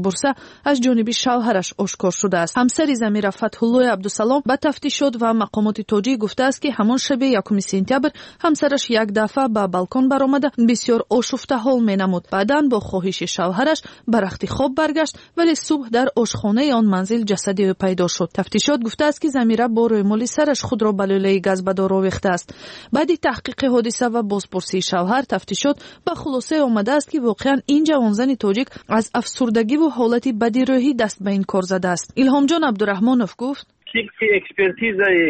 Бурса аз ҷониби шавҳараш ошкор шудааст. Ҳамсари Замира, Фатҳуллои Абдусалом, ба тафтишот ва мақомоти тоҷик гуфтааст, ки ҳамон шаби 1 сентябр ҳамсараш як дафъа ба балкон баромада, бисёр ошуфтаҳол менамуд. Баъдан бо хоҳиши шавҳараш ба рахти хоб баргашт, вале субҳ дар ошхонаи он манзил ҷасади ӯ пайдо шуд. Тафтишот гуфтааст, ки Замира бо рӯймоли сараш худро ба лӯлаи газ ба дор овехтааст. Баъди таҳқиқи ҳодиса ва бозпурсии шавҳар, тафтишот ба хулосае омадааст, ки воқеан ин ҷавонзани тоҷик аз афсурдагиву ҳолати бади рӯҳӣ даст ба ин кор задааст. Илҳомҷон Абдураҳмонов гуфт: Тибқи экспертизаи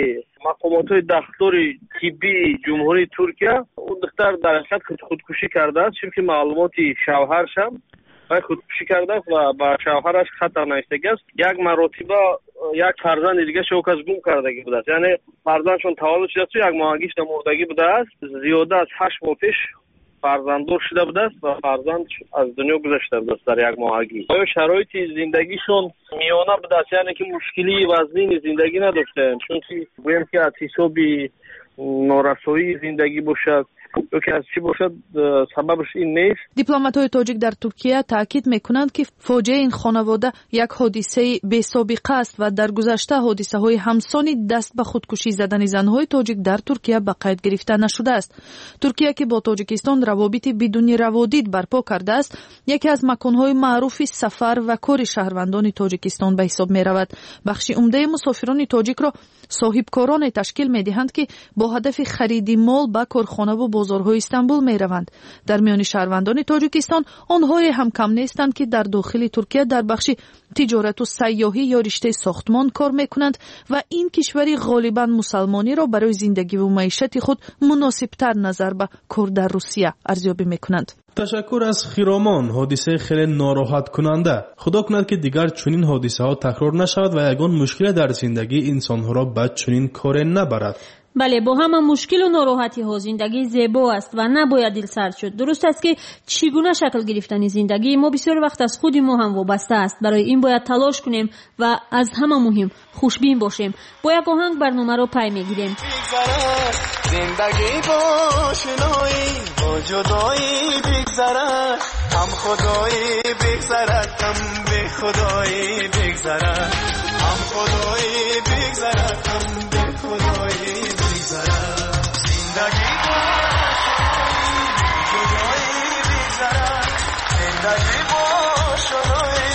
мақомотҳои дахлдори тиббии Ҷумҳурии Туркия, ӯ духтар дар ҳақиқат худкушӣ кардааст. Чунки маълумоти шавҳаршам, вай худкушӣ кардааст ва ба шавҳараш хат навиштагиаст. Як маротиба як фарзанди дигаша ӯ кас гум кардагӣ будааст, яъне фарзандшон таваллуд шудааст, як моҳагишда мурдагӣ будааст. Зиёда аз 8 моҳ пеш фарзанддор шуда будааст ва фарзанд аз дунё гузашта будааст дар як моҳагӣ. Оё шароити зиндагишон миёна будааст, яъне ки мушкилии вазнини зиндагӣ надоштаанд, чунки гӯем ки аз ҳисоби норасоии зиндагӣ бошад ё ки аз чӣ бошад, сабабаш ин нест. Дипломатҳои тоҷик дар Туркия таъкид мекунанд, ки фоҷиаи ин хонавода як ҳодисаи бесобиқа аст ва дар гузашта ҳодисаҳои ҳамсони даст ба худкушӣ задани занҳои тоҷик дар Туркия ба қайд гирифта нашудааст. Туркия, ки бо Тоҷикистон равобити бидуни раводид барпо кардааст, яке аз маконҳои маъруфи сафар ва кори шаҳрвандони Тоҷикистон ба ҳисоб меравад. Бахши умдаи мусофирони тоҷикро соҳибкороне ташкил медиҳанд, ки бо ҳадафи хариди мол ба корхонаву бозорҳои Истанбул мераванд. Дар миёни шаҳрвандони Тоҷикистон онҳое ҳам кам нестанд, ки дар дохили Туркия дар бахши тиҷорату сайёҳӣ ё риштаи сохтмон кор мекунанд ва ин кишвари ғолибан мусалмониро барои зиндагиву маишати худ муносибтар назар ба кор дар Русия арзёбӣ мекунанд. Ташаккур аз Хиромон. Ҳодисаи хеле нороҳаткунанда. Худо кунад, ки дигар чунин ҳодисаҳо такрор нашавад ва ягон мушкиле дар зиндагии инсонҳоро ба чунин коре набарад. Бале, бо ҳама мушкилу нороҳатиҳо зиндагӣ зебо аст ва набояд дилсард шуд. Дуруст аст, ки чӣ гуна шакл гирифтани зиндагии мо бисёр вақт аз худи мо ҳам вобаста аст. Барои ин бояд талош кунем ва аз ҳама муҳим хушбин бошем. Бо як оҳанг барномаро пай мегирем. Зиндагӣ бо ошноӣ, бо ҷудоӣ бигзарад, ҳам худоӣ бигзарад, ҳам бехудоӣ бигзарад, ҳам худоӣ бигзарад, ҳам бехудоӣ бигзарад. Зиндагӣ бо ҷудоӣ бигзарад, зиндагӣ бо ошноӣ,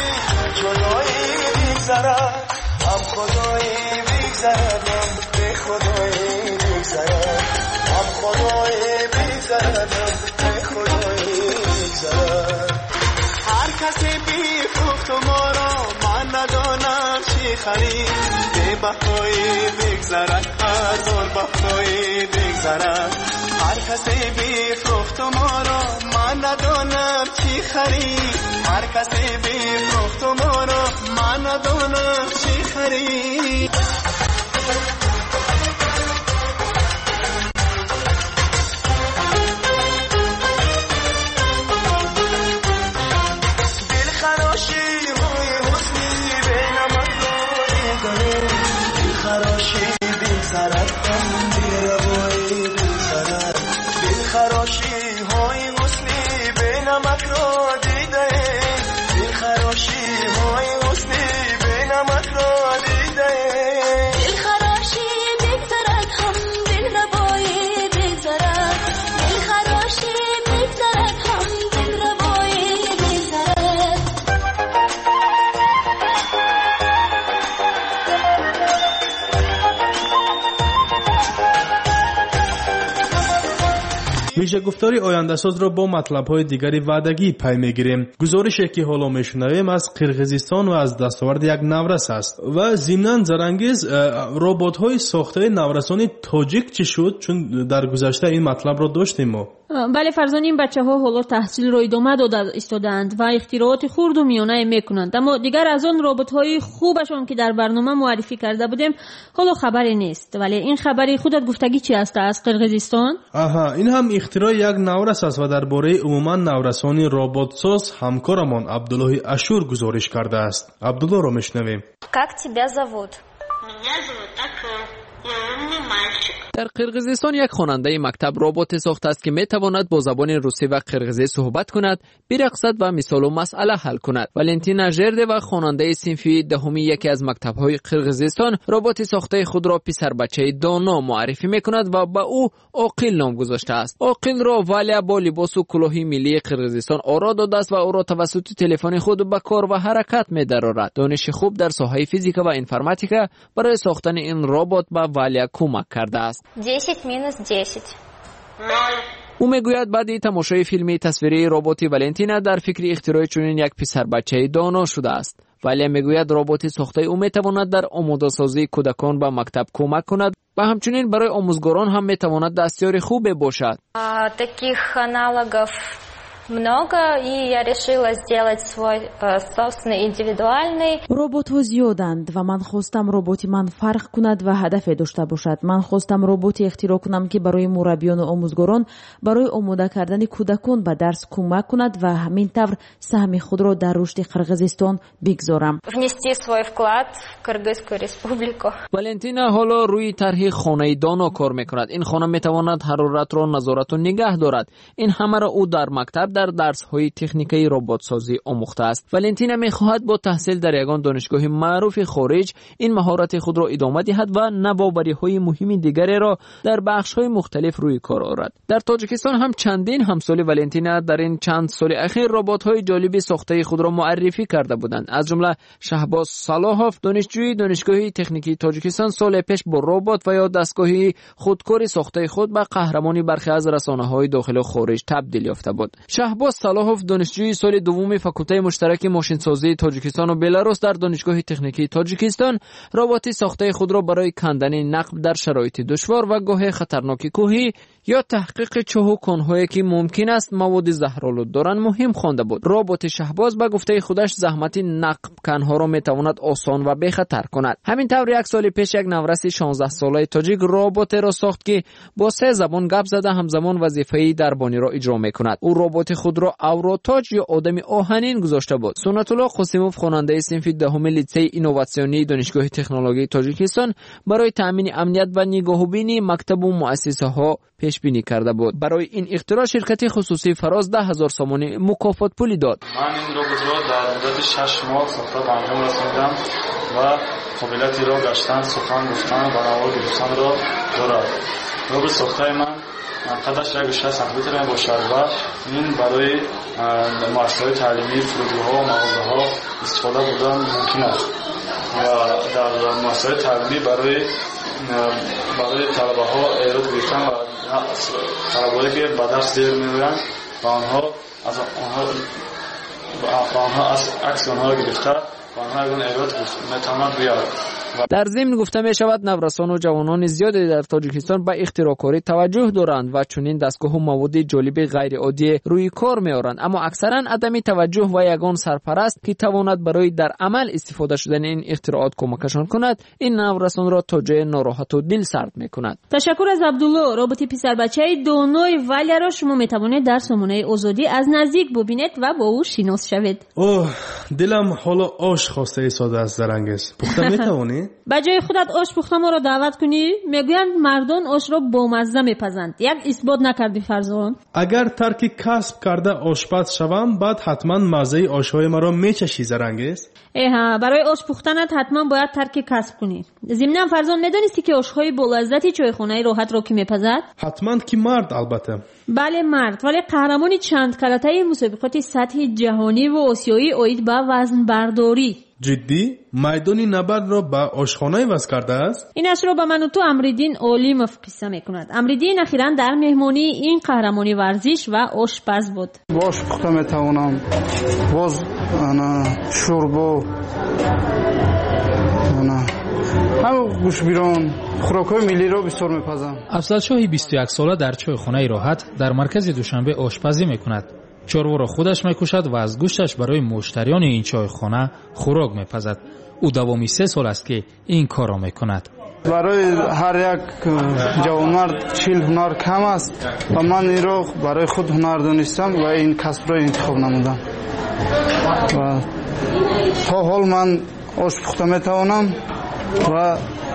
ҷудоӣ бигзарад, ҳам худоӣ бигзарад, ҳам бехудоӣ бигзарад, ҳам худоӣ бигзарад, ҳам бехудоӣ бигзарад. Ҳар касе бифрӯхту моро, ман надонам чӣ харид. Бебаҳоӣ бигзарад, ҳазор баҳоӣ бигзарад. Ҳар касе бифрӯхту моро, ман надонам чӣ харид. Ҳар касе бифрӯхту моро, ман надонам чӣ харид. Дилхарошиҳои ҳусни бенамакро дидаем, дилхарошӣ бигзарад, ҳам беравоӣ бигзарад. Дилхарошиҳои ҳусни бенамакро дидаем, дилхарошиҳои ҳусни бенамакро дидаем. Дилхарошӣ бигзарад, ҳам дилрабоӣ бигзарад. Дилхарошӣ бигзарад, ҳам дилрабоӣ бигзарад. Вижагуфтори ояндасозро бо матлабҳои дигари ваъдагӣ пай мегирем. Гузорише, ки ҳоло мешунавем, аз Қирғизистон ва аз дастоварди як наврас аст. Ва зимнан, Зарангез, роботҳои сохтаи наврасони тоҷик чӣ шуд? Чун дар гузашта ин матлабро доштем мо. Бале, Фарзон, ин бачаҳо ҳоло таҳсилро идома дода истодаанд ва ихтирооти хурду миёнае мекунанд, аммо дигар аз он роботҳои хубашон, ки дар барнома муаррифӣ карда будем, ҳоло хабаре нест. Вале ин хабари худат гуфтагӣ чи аст аз Қирғизистон? Аҳа, ин ҳам ихтирои як наврас аст ва дар бораи умуман наврасони роботсоз ҳамкорамон Абдуллоҳи Ашур гузориш кардааст. Абдуллоҳро мешунавем. Как тебя зовут? Меня зовут Акыл. Я умный мальчик. Дар Қирғизистон як хонандаи мактаб роботе сохтааст, ки метавонад бо забони русӣ ва қирғизӣ суҳбат кунад, бирақсад ва мисолу масъала ҳал кунад. Валентина Жердева, хонандаи синфи 10-уми яке аз мактабҳои Қирғизистон, роботи сохтаи худро писарбачаи доно муаррифӣ мекунад ва ба ӯ Оқил ном гузоштааст. Оқилро Валя бо либосу кӯлоҳи миллии Қирғизистон оро додааст ва ӯро тавассути телефони худ ба кор ва ҳаракат медарорад. Дониши хуб дар соҳаи физика ва информатика барои сохтани ин робот ба Валя кӯмак кардааст. 10 минус 10. Ӯ мегӯяд, баъди тамошои филми тасвирии роботи Валентина дар фикри ихтирои чунин як писарбачаи доно шудааст. Валя мегӯяд, роботи сохтаи ӯ метавонад дар омодасозии кӯдакон ба мактаб кӯмак кунад ва ҳамчунин барои омӯзгорон ҳам метавонад дастёри хубе бошад. Таких аналогов много, и я решила сделать свой собственный индивидуальный. Роботҳо зиёданд ва ман хостам роботи ман фарқ кунад ва ҳадафе дошта бошад. Ман хостам роботе ихтироъ кунам, ки барои мураббиёну омӯзгорон барои омода кардани кӯдакон ба дарс кӯмак кунад ва ҳамин тавр саҳми худро дар рушди Қирғизистон бигзорам. Внести свой вклад в Кыргызскую республику. Валентина ҳоло рӯи тарҳи хонаи доно кор мекунад. Ин хона метавонад ҳароратро назорату нигаҳ дорад. Ин ҳамаро ӯ дар мактаб дар дарсҳои техникаи роботсозӣ омӯхтааст. Валентина мехоҳад бо таҳсил дар ягон донишгоҳи маъруфи хориҷ ин маҳорати худро идома диҳад ва навовариҳои муҳими дигареро дар бахшҳои мухталиф рӯи кор орад. Дар Тоҷикистон ҳам чандин ҳамсоли Валентина дар ин чанд соли ахир роботҳои ҷолиби сохтаи худро муаррифӣ карда буданд. Аз ҷумла Шаҳбоз Салоҳов, донишҷӯи Донишгоҳи техникии Тоҷикистон, соле пеш бо робот ва ё дастгоҳи худкори сохтаи худ ба қаҳрамони бархе аз расонаҳои дохилу хориҷ табдил ёфта буд. Шаҳбоз Салоҳов, донишҷӯи соли дуввуми факултаи муштараки мошинсозии Тоҷикистону Беларус дар Донишгоҳи техникии Тоҷикистон, роботи сохтаи худро барои кандани нақб дар шароити душвор ва гоҳе хатарноки кӯҳӣ ё таҳқиқи чоҳу конҳое, ки мумкин аст маводи заҳролуд доранд, муҳим хонда буд. Роботи Шаҳбоз, ба гуфтаи худаш, заҳмати нақбканҳоро метавонад осон ва бехатар кунад. Ҳамин тавр, як соли пеш як навраси 16-солаи тоҷик роботеро сохт, ки бо се забон гап зада, ҳамзамон вазифаи дарбониро иҷро мекунад. Ӯ роботи худро Авротоҷ ё одами оҳанин гузошта буд. Суннатулло Қосимов, хонандаи синфи 10-уми литсеи инноватсионии Донишгоҳи технологияи Тоҷикистон, барои таъмини амният ва нигоҳубини мактабу муассисаҳо пешбинӣ карда буд. Барои ин ихтироъ ширкати хусусии Фароз 10 000 сомонӣ мукофотпулӣ дод. Ман ин роботро дар муддати 6 моҳ сохта ба анҷом расонидам ва қобилияти роҳ гаштан, сухан гуфтан ва навор гирифтанро дорад. Роботи сохтаи ман қадаш 1,6 сантиметр мебошад ва ин барои муассисаҳои таълимӣ, фурудгоҳҳо, мағозаҳо истифода бурдан мумкин аст ва дар муассисаҳои таълимӣ барои талабаҳо эрод гирифтан ва талабаҳое, ки ба дарс дер меоянд, ба онҳо аз акси онҳоро гирифта, ба онҳо ягон эрод метавонад гӯяд. Дар зимн гуфта мешавад, наврасону ҷавонони зиёде дар Тоҷикистон ба ихтироъкорӣ таваҷҷӯҳ доранд ва чунин дастгоҳу маводи ҷолиби ғайриоддие рӯи кор меоранд, аммо аксаран адами таваҷҷӯҳ ва ягон сарпараст, ки тавонад барои дар амал истифода шудани ин ихтироот кӯмакашон кунад, ин наврасонро то ҷое нороҳату дилсард мекунад. Ташаккур аз Абдулло. Роботи писарбачаи донои Валяро шумо метавонед дар сомонаи Озодӣ аз наздик бубинед ва бо ӯ шинос шавед. Оҳ, дилам ҳоло ош хоста истодааст. Зарангез, пухта метавонӣ? Ба ҷои худат ош пухта моро даъват кунӣ? Мегӯянд, мардон ошро бомазза мепазанд. Як исбот накардӣ, Фарзон. Агар тарки касб карда ошпаз шавам, баъд ҳатман маззаи ошҳои маро мечашӣ, Зарангез. Эҳа, барои ош пухтанат ҳатман бояд тарки касб кунӣ. Зимнан, Фарзон, медонистӣ, ки ошҳои болаззати чойхонаи Роҳатро кӣ мепазад? Ҳатман ки мард, албатта. Бале, мард, вале қаҳрамони чандкаратаи мусобиқоти сатҳи ҷаҳониву осиёӣ оид ба вазнбардорӣ. Ҷиддӣ? Майдони набардро ба ошхона иваз кардааст? Инашро ба ману ту Амриддин Олимов қисса мекунад. Амриддин ахиран дар меҳмонии ин қаҳрамони варзиш ва ошпаз буд. Ош пухта метавонам, боз шӯрбо, ҳам гӯштбирён, хӯрокҳои миллиро бисёр мепазам. Афзалшоҳи 21-сола дар чойхонаи Роҳат дар маркази Душанбе ошпазӣ мекунад. Чорворо худаш мекушад ва аз гӯшташ барои муштариёни ин чойхона хӯрок мепазад. Ӯ давоми 3 сол аст, ки ин корро мекунад. Барои ҳар як ҷавонмард 40 ҳунар кам аст ва ман инро барои худ ҳунар донистам ва ин касбро интихоб намудам ва то ҳол ман ош пухта метавонам ва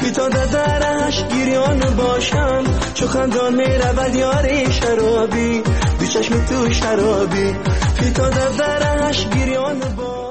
Фитода дараш гирён бошам, чу хандон меравад ёри шаробӣ, ду чашми ту шаробӣ. Фитода дараш гирён бошам.